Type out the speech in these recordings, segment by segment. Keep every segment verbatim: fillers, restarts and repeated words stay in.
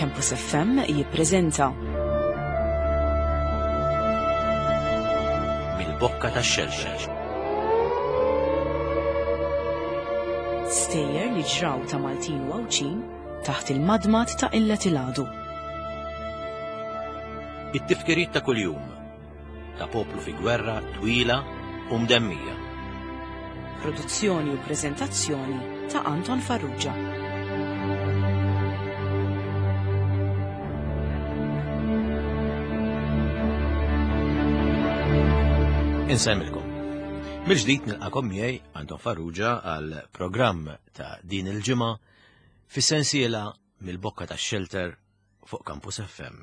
Campus F M jippreżenta Mill-Bokka tax-Xelxel. Stejjer li ġraw ta' Maltin u Għawdxin taħt il-madmad ta' Illet il-Għadu. It-tifkiriet ta' kuljum ta' poplu fi gwerra twila u mdemmija. Produzzjoni u preżentazzjoni ta' Anton Farrugia. Insemmilkom. Mill-ġdid nilqakom miegħi Anton Farrugia għal programm ta' din il-ġimgħa fis-sensiela mill-Bokka tax-Shelter fuq Campus F M.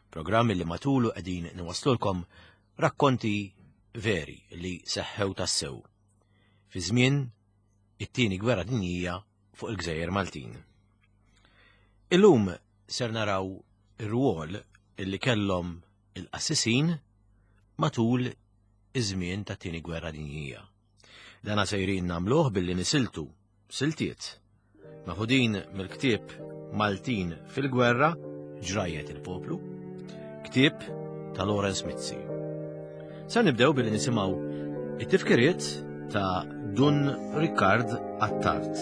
Programm li matulu qegħdin niwaslulkom rakkonti veri li seħħew tassew fi żmien it-tieni gwerra dinjija fuq il-Gżejjer Maltin. Illum ser naraw ir-rwol li kellhom il-qassisin matul iż-żmien tat-tieni gwerra dinjija. Dana sejrin nagħmluh billi nisiltu siltiet maħudin mill-ktieb Maltin fil-Gwerra Ġrajjet il-Poplu, ktieb ta' Lawrence Mizzi. Se nibdew billi nisimgħu it-tifkiriet ta' Dun Ricard Attard,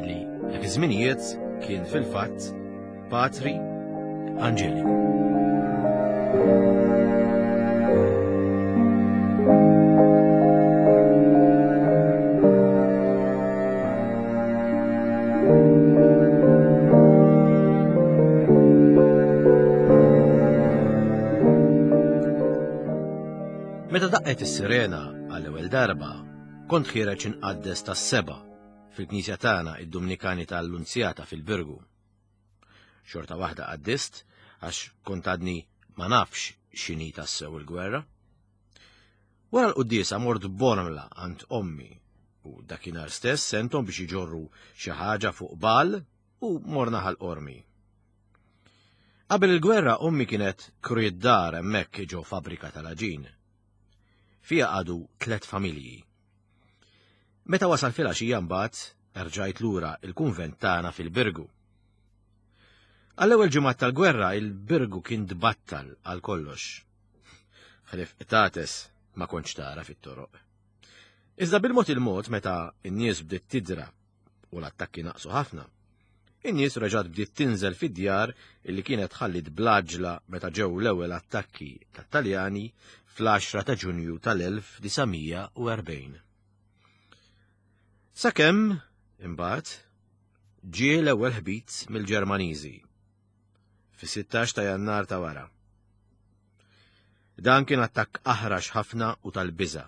illi dak iż-żminijiet kien fil-fatt Patri Angeliku. Meta daqqet is-sirena għall-ewwel darba, kont ħiereġ inqaddes tas-seba' fil-knisja tagħna id-Dumnikani tal-Lunzjata fil-Birgu. Xorta waħda qaddist għax kont għadni ma nafx x'inhi tassew il-gwerra. Wara l-quddiesa mort Bormla għand ommi u dakinhar stess senthom biex iġorru xi ħaġa fuq bal u morna ħal Qormi. Qabel il-gwerra ommi kienet kriet dar hemmhekk ġo fabbrika tal-aġin. Fija għadu tliet familji. Meta wasal filgħaxija mbagħad erġajt lura il-kunvent tagħna fil-Birgu. Għall-ewwel ġimgħat tal-gwerra il-Birgu kien tbattal għal kollox. Ħlief qtates ma kontx tara fit-toroq. Iżda bil-mod il-mod meta n-nies bdiet tidra u l-attakki naqsu ħafna, in-nies reġgħet bdiet tinżel fid-djar illi kienet ħallit blaġla meta ġew l-ewwel attakki tat-Taljani fl-għaxra ta' Ġunju tal-elf disa' mija u erbgħin. Sakemm, imbagħad, ġie l-ewwel ħbit mill-Ġermaniżi fis-sittax ta' Jannar ta' wara. Dan kien attakk aħrax ħafna u tal-biża'.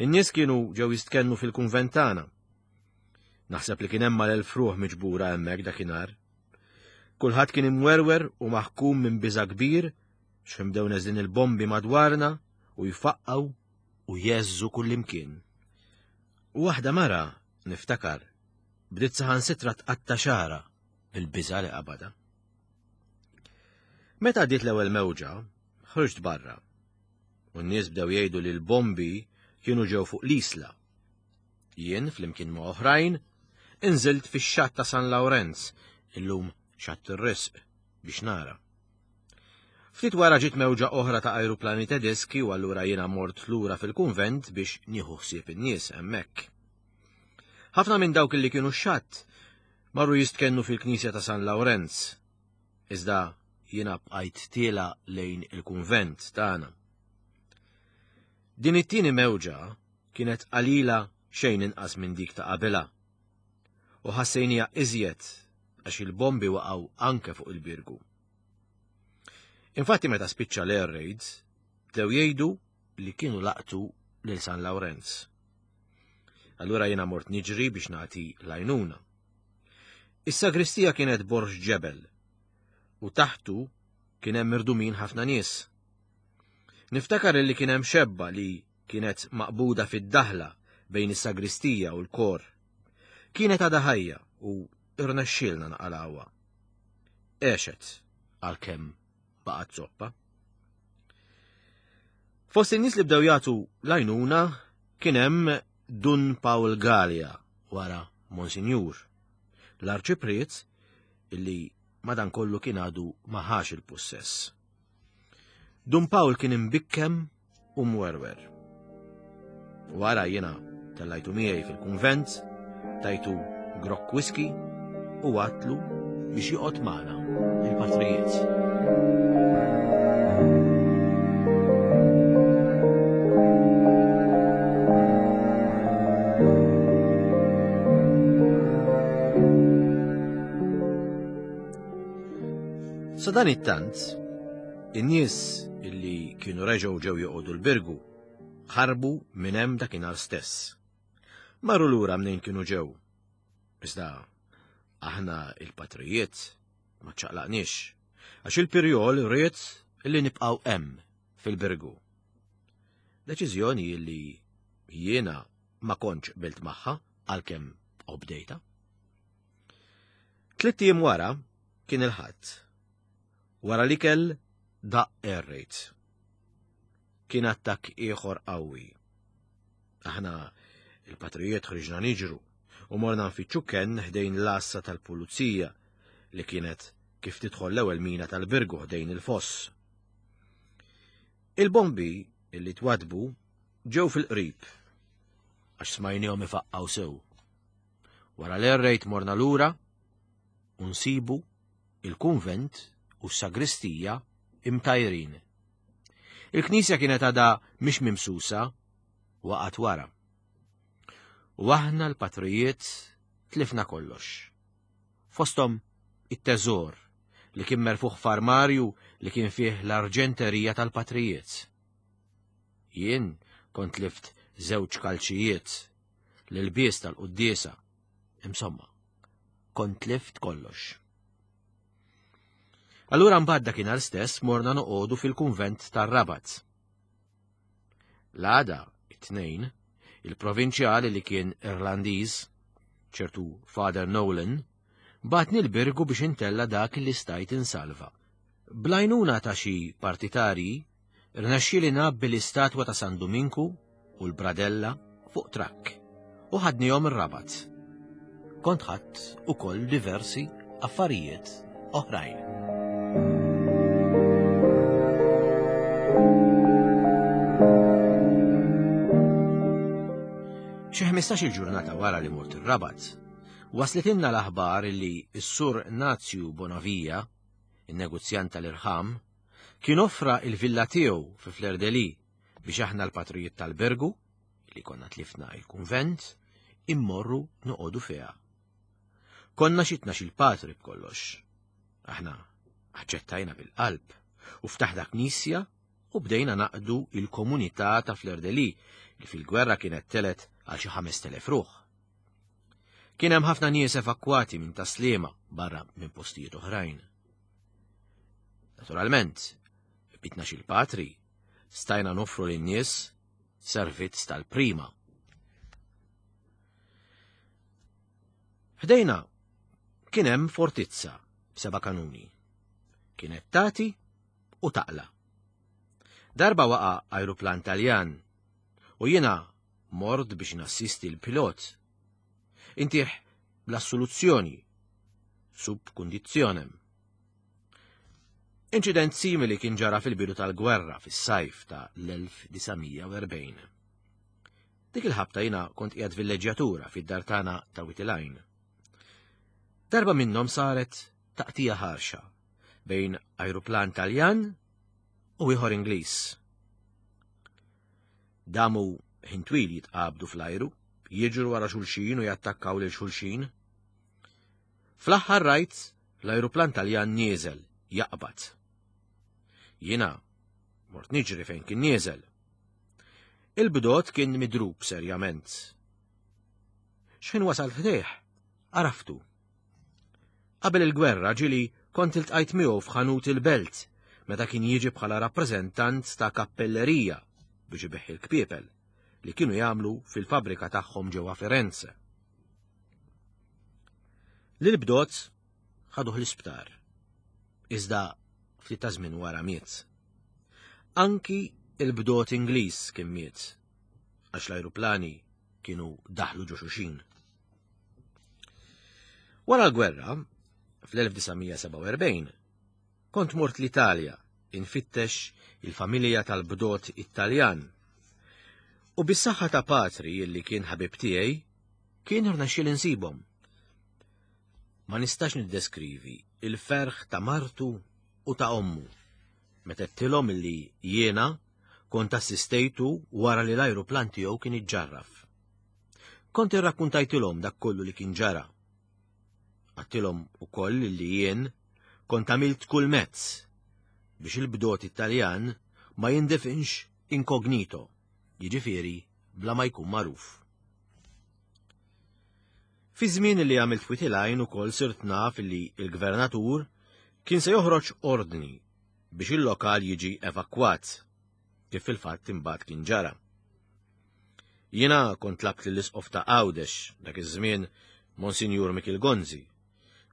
In-nies kienu ġew jistkennu fil-kunvent tagħna. Naħseb li kien hemm mal-elf ruħ miġbura hemmhekk dakinhar. Kulħadd kien imwerwer u maħkum minn biża' kbir x'ħin bdew neżlin il-bombi madwarna u jfaqqgħu u jeżżu kullimkien. U waħda mara, niftakar, bdiet saħansitra tqatta' xagħarha bil-biża' li qabadha. Meta għaddiet l-ewwel mewġa, ħriġt barra. U n-nies bdew jgħidu li l-bombi kienu ġew fuq l-isla. Jien, flimkien ma' oħrajn, inżilt fix-xatt ta' San Lawrenz, illum xatt ir-risq, biex nara. Ftit wara ġiet mewġa oħra ta' ajruplani Tedeski u allura jiena mort lura fil-kunvent biex nieħu ħsieb in-nies hemmhekk. Ħafna minn dawk li kienu x-xatt marru jistkennu fil-knisja ta' San Lawrenz. Iżda jiena bqajt tiela lejn il-kunvent tagħna. Din it-tieni mewġa kienet qalila xejn inqas minn dik ta' qabilha. U ħassejnija iżjed għax il-bombi waqgħu anke fuq il-Birgu. Infatti meta spiċċa l-air raids, bdew jgħidu li kienu laqtu lil San Lawrenz. Allura jiena mort niġri biex nagħti l-għajnuna. Is-sagristija kienet borġ ġebel u taħtu kien hemm irdumin ħafna nies. Niftakar li kien hemm xebba li kienet maqbuda fid-daħla bejn is-sagristija u l-kor. Kienet għadha ħajja u irnexxielna naqalgħuha. Għexet għalkemm baqgħet zoppa. Fost in-nies li bdew jagħtu l-għajnuna kien hemm Dun Pawl Galea wara Monsinjur, l-arċipriet illi madankollu kien għadu ma ħax il-pussess. Dun Pawl kien imbikkem u mwerwer. Wara jiena tellajtu miegħi fil-kunvent, tajtu grokk whisky u għatlu biex joqgħod magħna il-patrijiet. Sa dan it-tant, in-nies illi kienu reġgħu ġew joqogħdu l-Birgu ħarbu minn hemm dakinhar stess. Marru lura mnejn kienu ġew. Iżda aħna il-patrijiet ma ċċaqlaqniex, għax il-Pirjol ried illi nibqgħu hemm fil-Birgu. Deċiżjoni illi jiena ma kontx qbilt magħha għalkemm obdejta. Tlitt ijiem wara kien il-Ħadd. Wara l-ikel daqq air raid. Kien attakk ieħor qawwi. Aħna il-patrijiet ħriġna niġru u morna nfittxu kenn ħdejn l-għassa tal-pulizija li kienet kif tidħol l-ewwel mina tal-Birgu ħdejn il-foss. Il-bombi illi twadbu ġew fil-qrib għax smajnihom ifaqqgħu sew. Wara l-air raid morna lura u nsibu il-kunvent u s-sagristija imtajrin. Il-knisja kienet għadha mhix mimsusa waqgħet wara. U aħna l-patrijiet tlifna kollox. Fosthom it-teżor li kien merfuħ f'armarju li kien fih l-arġenterija tal-patrijiet. Jien kont lift żewġ kalċijiet, l-ilbies tal-quddiesa, insomma, kont lift kollox. Allura mbagħad dakinhar stess morna noqogħdu fil-kunvent tar-Rabat. L-għada, it-tnejn, il-provinċjali li kien Irlandiż, ċertu Father Nolan, batni l-Birgu biex intella dak li stajt insalva. Blajnuna ta' xi partitarji, rnexxieli ngħabbi l-istatwa ta' San Duminku u l-Bradella fuq trakk u ħadnihom ir-Rabat. Kont ħadt ukoll diversi affarijiet oħrajn. Xi ħmistax-il ġurnata wara li mort ir-Rabat, waslitilna l-aħbar li s-sur Nazju Bonavia, in-negozjant tal-irħam, kien offra il-villa tiegħu fi Fleur-de-Lys biex aħna l-patrijiet tal-Birgu, li konna tlifna il-kunvent, immorru noqogħdu fiha. Konna xi tnax-il patri b'kollox. Aħna aċċettajna bil-qalb u ftaħna knisja u bdejna naqdu il-komunità ta' Fleur-de-Lys li fil-gwerra kienet telet għal xi ħamest elef ruħ. Kien hemm ħafna nies evakwati minn Taslima barra minn postijiet oħrajn. Naturalment, bitna xi patri stajna noffru lin-nies servizz tal-prima. Ħdejna kien hemm fortizza b'seba' kanuni. Kienet tagħti u taqla. Darba waqa' ajruplan Taljan u jiena mort biex nassisti l-pilot. Intih bl-assoluzzjoni, sub conditionem. Inċident simili kien ġara fil-bidu tal-gwerra fis-sajf ta' l-elf disa' mija u erbgħin. Dik il-ħabta jiena kont qiegħed villeġġjatura fid-dar tagħna ta' Witilajn. Darba minnhom saret taqtija ħarxa bejn ajruplan Taljan u ieħor Ingliż. Damu ħin twil jitqabdu fl-ajru, jiġru wara xulxin u jattakkaw lil xulxin. Fl-aħħar rajt l-ajruplan Taljan nieżel jaqbad. Jiena mort niġri fejn kien nieżel. Il-bdot kien midrub serjament. X'ħin wasal ħdejh, għaraftu. Qabel il-gwerra ġili kont iltqajt miegħu f'ħanut il-belt meta kien jiġi bħala rappreżentant ta' kappellerija biex ibeħħi l-kpiepel li kienu jagħmlu fil-fabrika tagħhom ġewwa Firenze. Lil-bdot ħaduh l-isptar, iżda ftit ta' żmien wara miet. Anki il-bdot Ingliż kien miet, għax l-ajruplani kienu daħlu ġo xulxin. Wara l-gwerra, fl-elf disa' mija sebgħa u erbgħin, kont mort l-Italja infittex il-familja tal-bdot Italjan. U bis-saħħa ta' patri illi kien ħabib tiegħi, kien irnexxiel insibhom. Ma nistax niddeskrivi il-ferħ ta' martu u ta' ommu meta għedtilhom illi jiena kont assistejtu wara li l-ajruplan tiegħu kien iġġarraf. Kont irrakkuntajtilhom dak kollu li kien ġara. Għedtilhom ukoll li jien kont għamilt kull mezz biex il-bdot Italjan ma jindifinx inkognito, jiġifieri bla ma jkun magħruf. Fi żmien li għamilt Wied il-Għajn ukoll sirt naf li l-gvernatur kien se joħroġ ordni biex il-lokal jiġi evakwat, kif fil-fatt imbagħad kien ġara. Jiena kont tlabt lill-isqof ta' Għawdex dak iż-żmien Monsinjur Mikiel Gonzi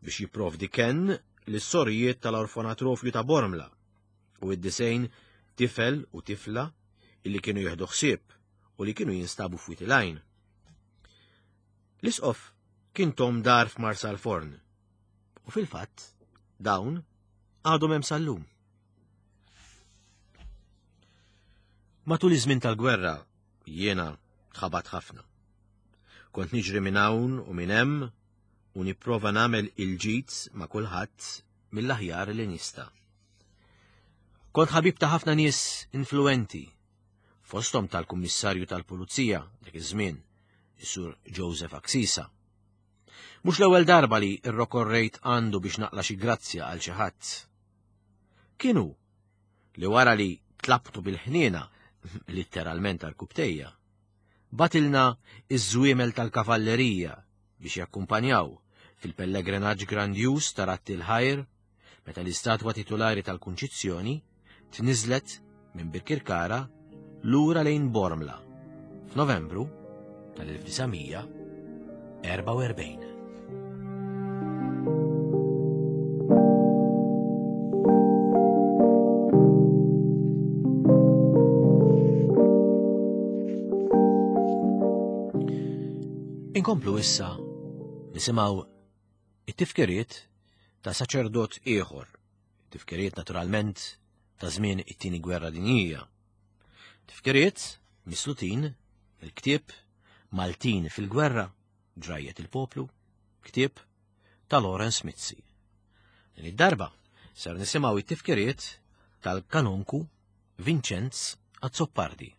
biex jipprovdi kenn lis-sorijiet tal-orfanatrofju ta' Bormla u id-disejn tifel u tifla illi kienu jieħdu ħsieb u li kienu jinstabu f'Wied il-Għajn. L-isqof kien tom dar f'Marsalforn u fil-fatt dawn għadhom hemm sal-lum. Matul iż-żmien tal-gwerra jiena tħabat ħafna. Kont niġri minn hawn u minn hemm u nipprova nagħmel il-ġid ma' kulħadd mill-aħjar li nista'. Kont ħabib ta' ħafna nies influenti, fosthom tal-Kummissarju tal-Pulizija dak iż-żmien, is-Sur Joseph Axisa. Mhux l-ewwel darba li rrokorrejt għandu biex naqla xi grazzja għal xi ħadd. Kienu li wara li tlabtu bil-ħniena, litteralment għal-kubtejja, batilna iż-żwiemel tal-kavallerija biex jakkumpanjaw fil-pellegrinaġġ grandjuż ta' Radd il-Ħajr meta l-istatwa titulari tal-Kunċizzjoni tniżlet minn Birkirkara lura lejn Bormla f'Novembru tal-elf disa' mija erbgħa u erbgħin. Inkomplu issa nisimgħu it-tifkiriet ta' saċerdot ieħor, tifkiriet naturalment ta' żmien it-tieni gwerra dinjija. Tifkiriet mislutin il-ktieb Maltin fil-gwerra, ġrajjet il-poplu, ktieb ta' Lawrence Mizzi. Din id-darba ser nisimgħu it-tifkiriet tal-kanonku Vincenz Azzopardi.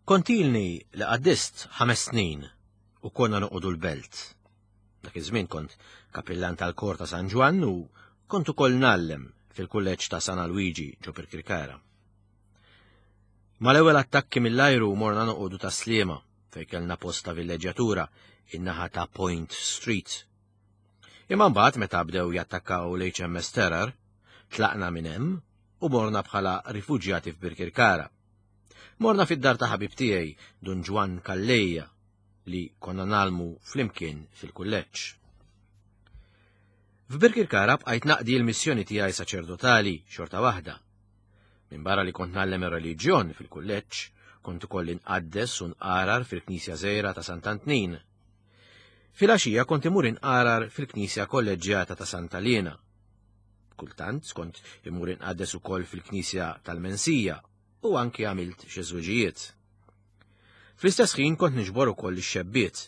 Kontilni li qaddist ħames snin u konna noqogħdu l-belt. Dak iż-żmien kont kapillan tal-kor ta' San Ġwann u kont ukoll ngħallem fil-kulleġġ ta' San Alwiġi ġo Birkirkara. Mal-ewwel attakki mill-ajru morna noqogħdu ta' Sliema fejn kellna post ta' villeġġjatura in-naħa ta' Point Street. Imma mbagħad meta bdew jattakkaw l-H M S Terror, tlaqna minn hemm u morna bħala rifuġjati f'Birkirkara. Morna fid-dar ta' ħabib tiegħi, Dun Ġwann Calleja, li konna nalmu flimkien fil-kulleġġ. F'Birkirkara bqajt naqdi l-missjoni tiegħi saċerdotali xorta waħda. Minn barra li kont nallem ir-reliġjon fil-kulleġġ, kont ukoll inqaddes u nqarar fil-Knisja Żgħira ta' Sant'Antnin. Filgħaxija kont imur inqarar fil-Knisja Kolleġġjata ta' Santa Liena. Kultant kont imur inqaddes ukoll fil-Knisja tal-Mensija u anki għamilt xi żwiġijiet. Fl-istess ħin kont niġbor ukoll ix-xebbiet,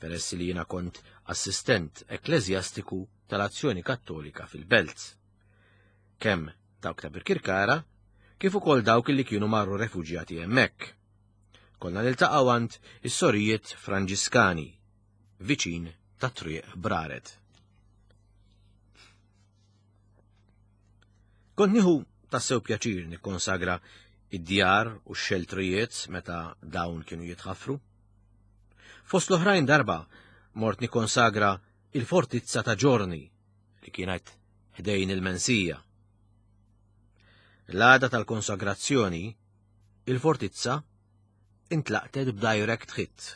peress li jiena kont assistent ekkleżjastiku tal-Azzjoni Kattolika fil-Belt. Kemm dawk ta' Birkirkara, kif ukoll dawk li kienu marru refuġjati hemmhekk. Konna niltaqgħu għand is-sorijiet Franġiskani, viċin ta' Triq Braret. Kont nieħu tassew pjaċir nikkonsagra id-djar u x-xeltrijiet meta dawn kienu jitħaffru. Fost l-oħrajn darba mort nikkonsagra il-fortizza ta' Ġorni li kienet ħdejn il-Mensija. L-għada tal-konsagrazzjoni, il-fortizza intlaqtet b'direct hit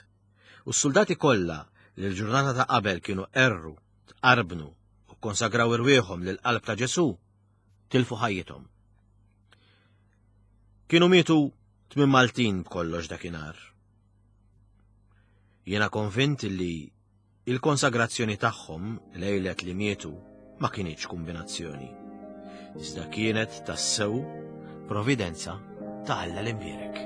u s-soldati kollha li l-ġurnata ta' qabel kienu erru, tqarbnu u konsagraw irwieħhom lill-qalb ta' Ġesu tilfu ħajjithom. Kienu mietu tmien Maltin b'kollox dakinhar. Jiena konvint li Il-konsagrazzjoni tagħhom lejlet li mietu ma kinitx kombinazzjoni. Iżda kienet tassew providenza ta' Alla l-Imbierek.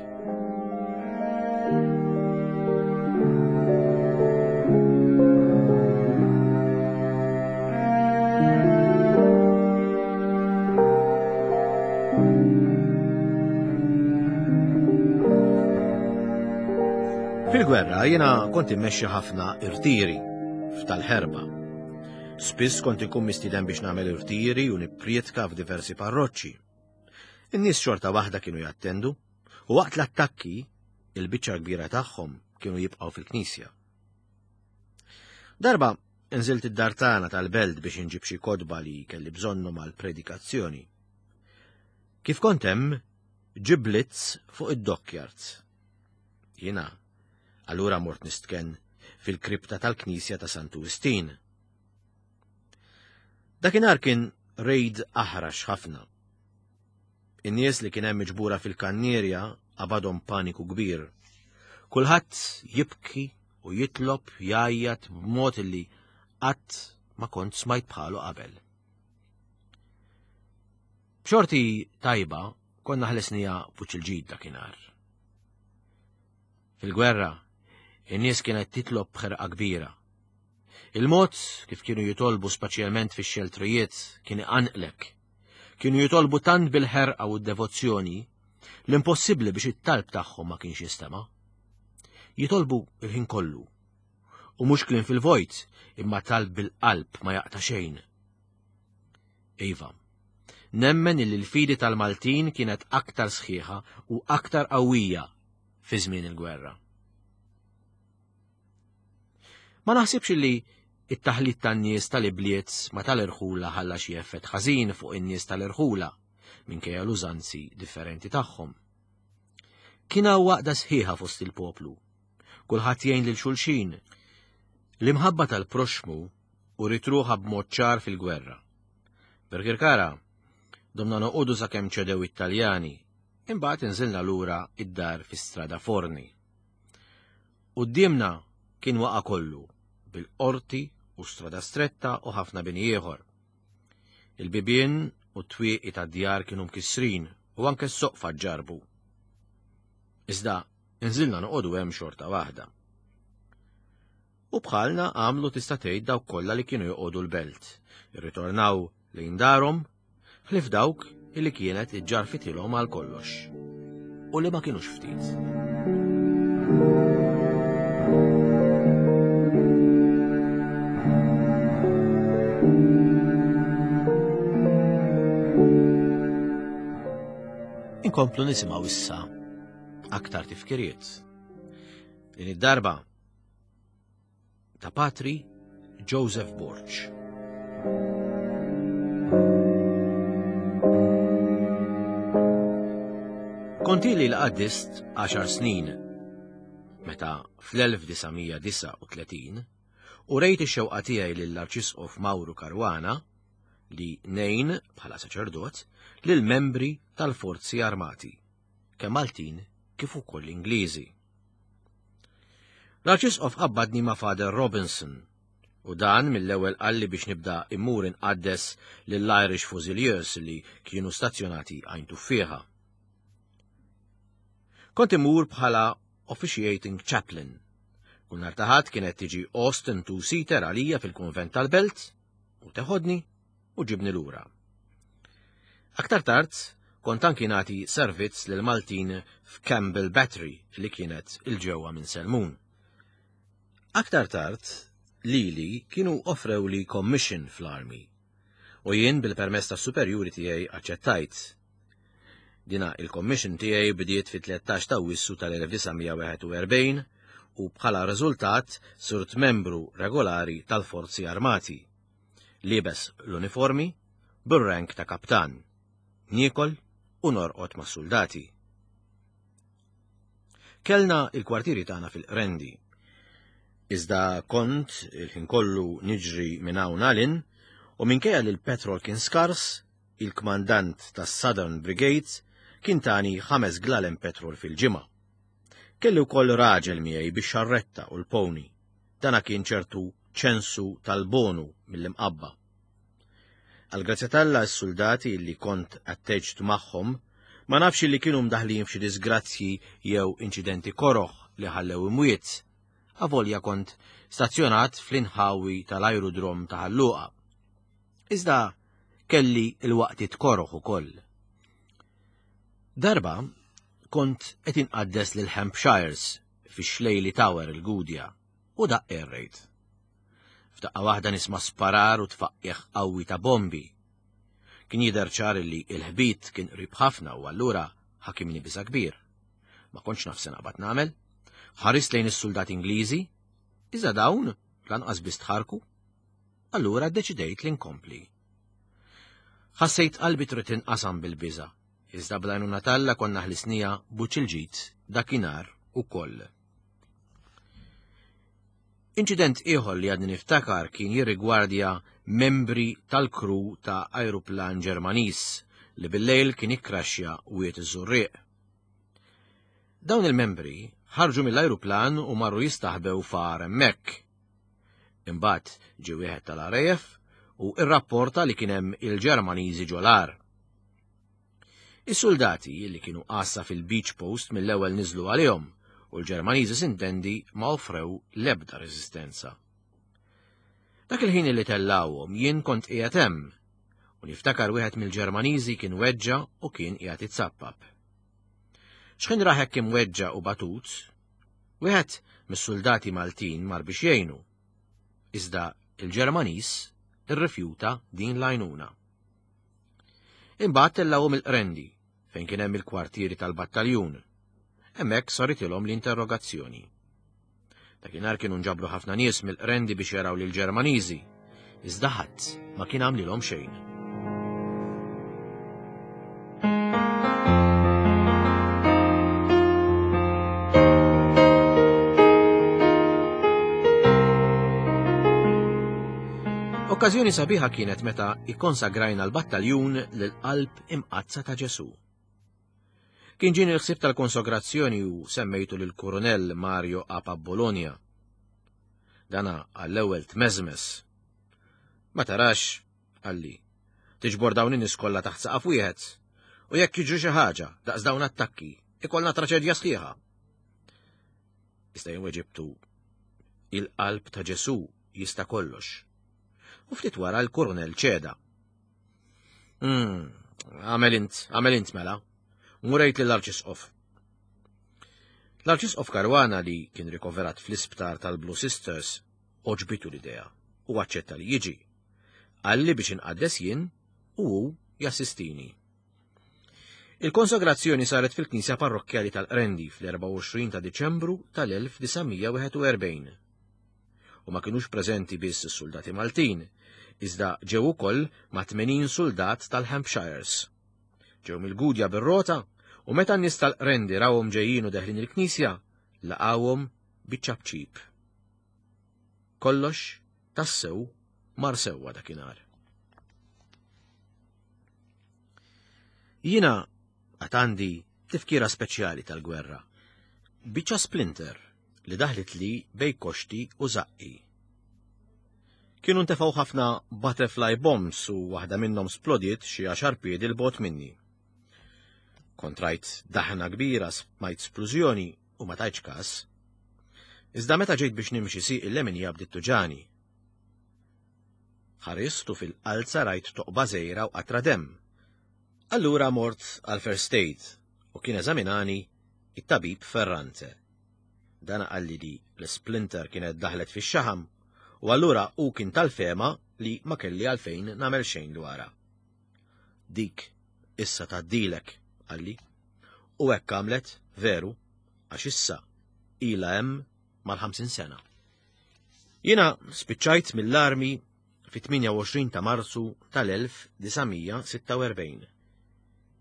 Fil-gwerra jiena kont immexxi ħafna irtiri f'tal-ħerba. Spiss kont inkun mistieden biex nagħmel irtiri u nipprietka f'diversi parroċċi. In-nies xorta waħda kienu jattendu u waqt l-attakki il-biċċa kbira tagħhom kienu jibqgħu fil-knisja. Darba nżilt id-dar tagħna tal-belt biex inġib xi kotba li kelli bżonnhom għall-predikazzjoni. Kif kont hemm, ġie blitz fuq id-dockyards. Jiena allura mort nistken fil-kripta tal-Knisja ta' Santu Wistin. Dakinhar kien rejd aħrax ħafna. In-nies li kien hemm miġbura fil-kannierja qabadhom paniku kbir. Kulħadd jibki u jitlob jgħajjat b'mod li qatt ma kont smajt bħalu qabel. B'xorti tajba konna ħlesnija fuq il-ġid dakinhar. Fil-gwerra, in-nies kienet titlob b'ħerqa kbira. Il-mod kif kienu jitolbu speċjalment fix-xeltrijiet kien iqanqlek. Kienu jitolbu tant bil-ħerqa u d-devozzjoni l-impossibbli biex it-talb tagħhom ma kienx jistema'. Jitolbu il-ħin kollu. U mhux kliem fil-vojt, imma talb bil-qalb ma jaqta' xejn. Iva, nemmen illi l-fidi tal-Maltin kienet aktar sħiħa u aktar qawwija fi żmien il-gwerra. Ma naħsibx li it-taħlit tan-nies tal-ibliet ma tal-irħula ħalla xi effett ħażin fuq in-nies tal-irħula minkejja l-użanzi differenti tagħhom. Kien hawn waqda sħiħa fost il-poplu. Kulħadd jgħin lil xulxin. L-imħabba tal-proxmu u ritruħa b'mod ċar fil-gwerra. Birkirkara, domna noqogħdu sakemm ċedew it-Taljani, imbagħad inżilna lura id-dar fi Strada Forni. Quddiemna kien waqa' kollu bil-qorti u strada stretta u ħafna bini ieħor. Il-bibien u t-twieqi tad-djar kienu mkissrin u anke s-soqfa ġarbu. Iżda nżilna noqogħdu hemm xorta waħda. U bħalna għamlu tista' tgħid dawk kollha li kienu joqogħdu l-belt, irritornaw lejn darhom, ħlief dawk illi kienet iġġarfitilhom għal kollox u li ma kienux ftit. Inkomplu nisimgħu issa aktar tifkiriet. Din id-darba ta' Patri Joseph Borg. Kont ili l-qaddist għaxar snin, meta fl-elf disa' mija disgħa u tletin u rejt ix-xewqa tiegħi lill-Arċisqof Mauro Caruana li nejn bħala saċerdot lil membri tal-Forzi Armati, kemm Maltin kif ukoll Ingliżi. L-Arċisqof qabbadni ma' Father Robinson u dan mill-ewwel qalli biex nibda immur inqaddes lill-Irish Fusiliers li kienu stazzjonati Għajn Tuffieħa. Kont immur bħala officiating chaplain. Kull nhar ta' Ħadd kienet tiġi Austin two-seater għalija fil-kunvent tal-Belt u teħodni u ġibni lura. Aktar tard kont anki nagħti servizz lil Maltin f'Campbell Battery li kienet il-ġewwa minn Selmun. Aktar tard lili kienu offrewli commission fl-Army u jien bil-permess tas-superjuri tiegħi aċċettajt. Dina il-commission tiegħi bdiet fit-tlettax ta' Awwissu tal-elf disa' mija wieħed u erbgħin u bħala riżultat sirt membru regolari tal-Forzi Armati. Liebes l-uniformi bir-rank ta' kaptan. Niekol u norqod ma' soldati. Kellna il-kwartieri tagħna fil-Qrendi. Iżda kont il-ħin kollu niġri minn hawn għal hinn u minkejja li l-petrol kien skars, il-kmandant tas-Southern Brigades kien tani ħames glalem petrol fil-ġimgħa. Kelli wkoll raġel miegħi biex xarretta u l-pony. Dana kien ċertu Ċensu tal-Bonu mill-Imqabba. Għal-grazzja t'Alla s-soldati li kont atteġġt magħhom ma nafx li kienu mdaħlin f'xi disgrazzji jew inċidenti koroħ li ħallew imwiet. Avolja kont stazzjonat fl-inħawi tal-aerodrom ta' Ħal Luqa. Iżda kelli il-waqtiet koroħ ukoll. Darba kont qed inqaddes lil Hampshires fix-Xlejli Tower il-Gudja u daqq ir-rejt. F'daqqa waħda nisma' sparar u tfaqqieħ qawwi ta' bombi. Kien jidher ċar li l-ħbit kien qrib ħafna u allura ħakimni biża' kbir. Ma kontx naf se naqbad nagħmel. Ħarist lejn is-soldati Ingliżi, iżda dawn lanqas biss tħarku. Allura ddeċidejt li nkompli. Ħassejt qalbi trid tinqasam bil-biża', iżda bl-għajnuna t'Alla konna ħlisnija buċ il-ġid dakinhar ukoll. Inċident ieħor li għadni niftakar kien jirrigwardja membri tal-kru ta' ajruplan Ġermaniż li bil-lejl kien ikkraxxja Wied iż-Żurrieq. Dawn il-membri ħarġu mill-ajruplan u marru jistaħbew far hemmhekk. Imbagħad ġie wieħed tal-R A F u irrapporta li kien hemm il-Ġermaniżi ġol-għar. Is-soldati li kienu għassa fil-beach post mill-ewwel niżlu għalihom u l-Ġermaniżi sintendi ma offrew l-ebda reżistenza. Dak il-ħin li tellawhom jien kont qiegħed hemm u niftakar wieħed mill-Ġermaniżi kien weġġa u kien qiegħed itsappap. X'ħin rah hekk imweġġa u batut, wieħed mis-soldati Maltin mar biex jgħinu. Iżda il-Ġermaniż irrifjuta din l-għajnuna. Imbagħad tellawhom il-Qrendi fejn kien hemm il-kwartieri tal-battaljun. Hemmhekk saritilhom l-interrogazzjoni. Dakinhar kienu nġabru ħafna nies mill-Qrendi biex jaraw lil Ġermaniżi, iżda ħadd ma kien għamlilhom xejn. Okkażjoni sabiħa kienet meta ikkonsagrajna l-battaljun lil-qalb imqaddsa ta' Ġesu. Kien ġieni l-ħsieb tal-konsagrazzjoni u semmejtu lil Koronel Mario Apa Bologna. Dana għall-ewwel tmeżmes. "Ma tarax," qalli, "tiġbor dawn in-nies kollha taħt saqaf wieħed, u jekk jiġri xi ħaġa daqs dawn attakki, ikollna traċedja sħiħa." Iżda jien weġibtu, "Il-qalb ta' Ġesu jista' kollox." U ftit wara l-koronel ċeda. Mm, għamel int, għamel int mela. Murejt lill-Arċisqof. L-Arċisqof Caruana, li kien rikoverat fl-isptar tal-Blue Sisters, għoġbitu l-idea u aċċetta li jiġi. Qalli biex inqaddes jien u hu jassistini. Il-konsagrazzjoni saret fil-Knisja Parrokkjali tal-Qrendi fl-erbgħa u għoxrin ta' Diċembru tal-elf disa' mija wieħed u erbgħin. U ma kienux preżenti biss is-soldati Maltin, iżda ġew ukoll ma' tmenin soldat tal-Hampshires. Ġew mill-Gudja bir-rota u meta n-nies tal-Qrendi rawhom ġejjin u deħlin il-knisja, laqawhom biċ-ċapċip. Kollox tassew mar sewwa dakinhar. Jiena għad għandi tifkira speċjali tal-gwerra. Biċċa splinter li daħlet li bejn koxti u zaqqi. Kienu ntefgħu ħafna butterfly bombs u waħda minnhom splodiet xi għaxar piedi 'l bogħod minni. Kont rajt daħna kbira, smajt splużjoni u ma tajtx kas. Iżda meta ġejt biex nimxi, sieqi l-leminija bdiet tuġgħani. Ħarist u fil-qalza rajt toqba żgħira u qatra dem. Allura mort għal first aid u kien eżaminani it-tabib Ferrante. Dana qalli li l-splinter kienet daħlet fix-xaħam u allura u kien tal-fehma li ma kelli għalfejn nagħmel xejn dwarha. "Dik issa tgħaddilek," qalli. U hekk għamlet veru, għax issa ila hemm mal-ħamsin sena. Jiena spiċċajt mill-armi fit-tmienja u għoxrin ta' Marzu tal-elf disa' mija sitta u erbgħin.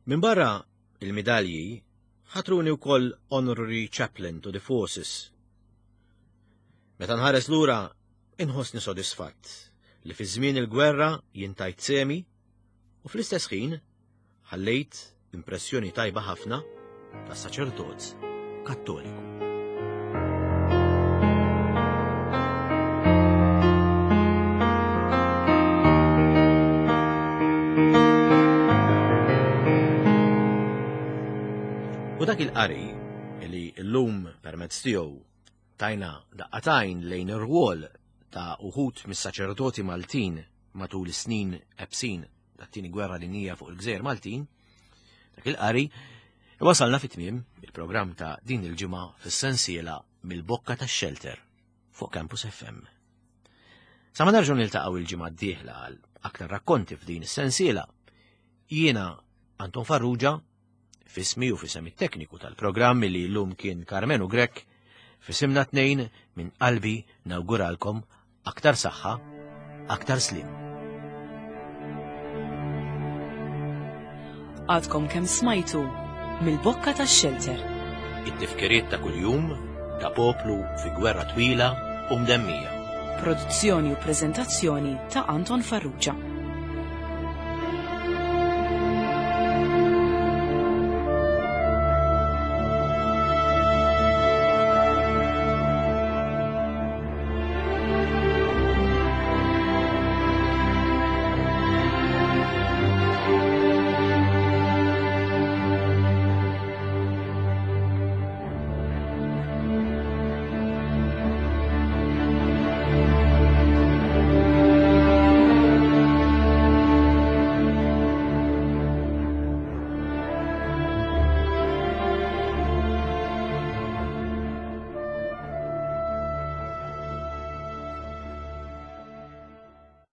Min barra il-medalji ħatruni wkoll Honorary Chaplain to the Forces. Meta nħares lura inħossni sodisfatt li fi żmien il-gwerra jien tajt sehmi u fl-istess ħin ħallejt impressjoni tajba ħafna ta' saċerdot Kattoliku. U dak il-qari li llum permezz tiegħu tajna daqqa t'għajn lejn ir-rwol ta' uħud mis-saċerdoti Maltin matul is-snin ebsin tat-tieni gwerra dinjija fuq il-Gżejjer Maltin, dak il-qari wasalna fit-tmiem il-programm ta' din il-ġimgħa fis-sensiela Mill-Bokka tax-Xelter fuq Campus F M. Sa ma nerġgħu niltaqgħu il-ġimgħa d-dieħla għal aktar rakkonti f'din is-sensiela, jiena Anton Farrugia, f'ismi u f'isem it-tekniku tal-programm li llum kien Karmenu Grek, f'isimna t-tnejn minn qalbi nawguralkom aktar saħħa, aktar sliem. Għadkom kemm smajtu Mill-Bokka tax-Xelter. It-tifkiriet ta' kuljum ta' poplu fi gwerra twila u mdemmija. Produzzjoni u preżentazzjoni ta' Anton Farrugia.